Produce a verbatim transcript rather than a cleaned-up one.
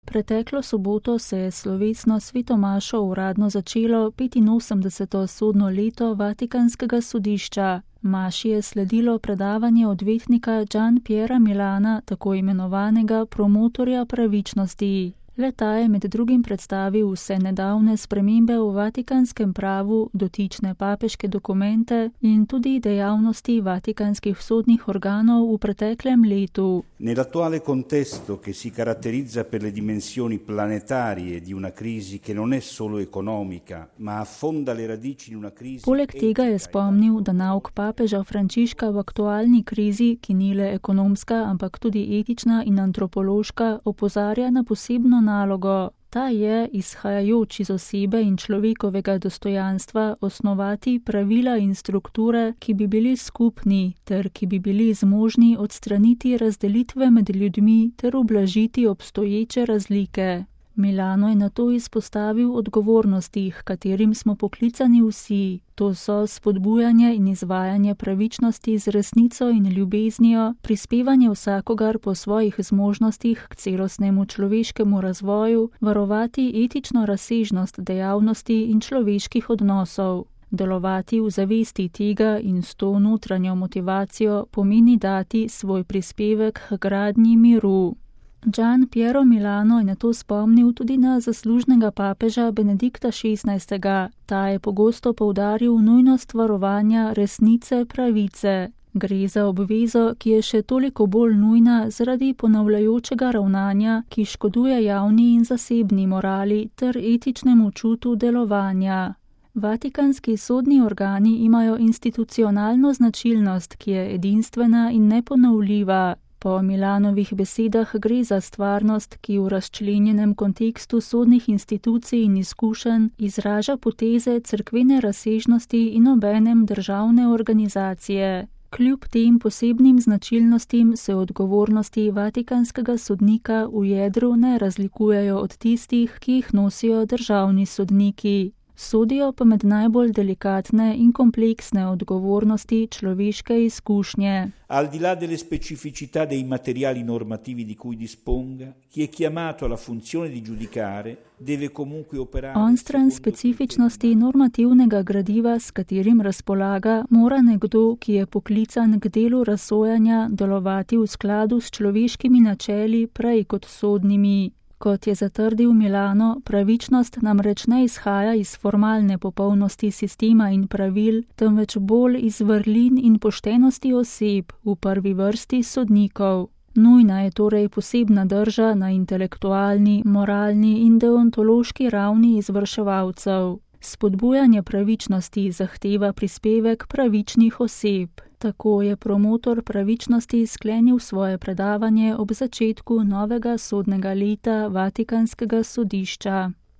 Preteklo soboto se je slovesno svetomašo uradno začelo petinosemdeseto sodno leto Vatikanskega sodišča. Maši je sledilo predavanje odvetnika Gian Piera Milana, tako imenovanega promotorja pravičnosti. Le-ta je med drugim predstavil vse nedavne spremembe v vatikanskem pravu, dotične papeške dokumente in tudi dejavnosti vatikanskih sodnih organov v preteklem letu. Nell'attuale contesto che si caratterizza per le dimensioni planetarie di una crisi che non è solo economica, ma affonda le radici in una crisi. Poleg tega je spomnil, da nauk papeža Frančiška v aktualni krizi, ki ni le ekonomska, ampak tudi etična in antropološka, opozarja na posebno nalogo. Ta je, izhajajoč iz osebe in človekovega dostojanstva, osnovati pravila in strukture, ki bi bili skupni, ter ki bi bili zmožni odstraniti razdelitve med ljudmi ter ublažiti obstoječe razlike. Milano je nato izpostavil odgovornosti, h katerim smo poklicani vsi. To so spodbujanje in izvajanje pravičnosti z resnico in ljubeznijo, prispevanje vsakogar po svojih zmožnostih k celostnemu človeškemu razvoju, varovati etično razsežnost dejavnosti in človeških odnosov. Delovati v zavesti tega in s to notranjo motivacijo pomeni dati svoj prispevek k gradnji miru. Gian Piero Milano je nato spomnil tudi na zaslužnega papeža Benedikta šestnajstega. Ta je pogosto poudaril nujnost varovanja resnice pravice. Gre za obvezo, ki je še toliko bolj nujna zaradi ponavljajočega ravnanja, ki škoduje javni in zasebni morali ter etičnemu čutu delovanja. Vatikanski sodni organi imajo institucionalno značilnost, ki je edinstvena in neponovljiva. Po Milanovih besedah gre za stvarnost, ki v razčlenjenem kontekstu sodnih institucij in izkušenj izraža poteze cerkvene razsežnosti in obenem državne organizacije. Kljub tem posebnim značilnostim se odgovornosti vatikanskega sodnika v jedru ne razlikujejo od tistih, ki jih nosijo državni sodniki. Sodijo pa med najbolj delikatne in kompleksne odgovornosti človeške izkušnje. Al di là delle specificità dei materiali normativi di cui disponga, chi è chiamato alla funzione di giudicare deve comunque operare. Onstran specifičnosti normativnega gradiva, s katerim razpolaga, mora nekdo, ki je poklican k delu razsojanja, delovati v skladu s človeškimi načeli prej kot sodnimi. Kot je zatrdil Milano, pravičnost namreč ne izhaja iz formalne popolnosti sistema in pravil, temveč bolj iz vrlin in poštenosti oseb, v prvi vrsti sodnikov. Nujna je torej posebna drža na intelektualni, moralni in deontološki ravni izvrševalcev. Spodbujanje pravičnosti zahteva prispevek pravičnih oseb. Tako je promotor pravičnosti sklenil svoje predavanje ob začetku novega sodnega leta Vatikanskega sodišča.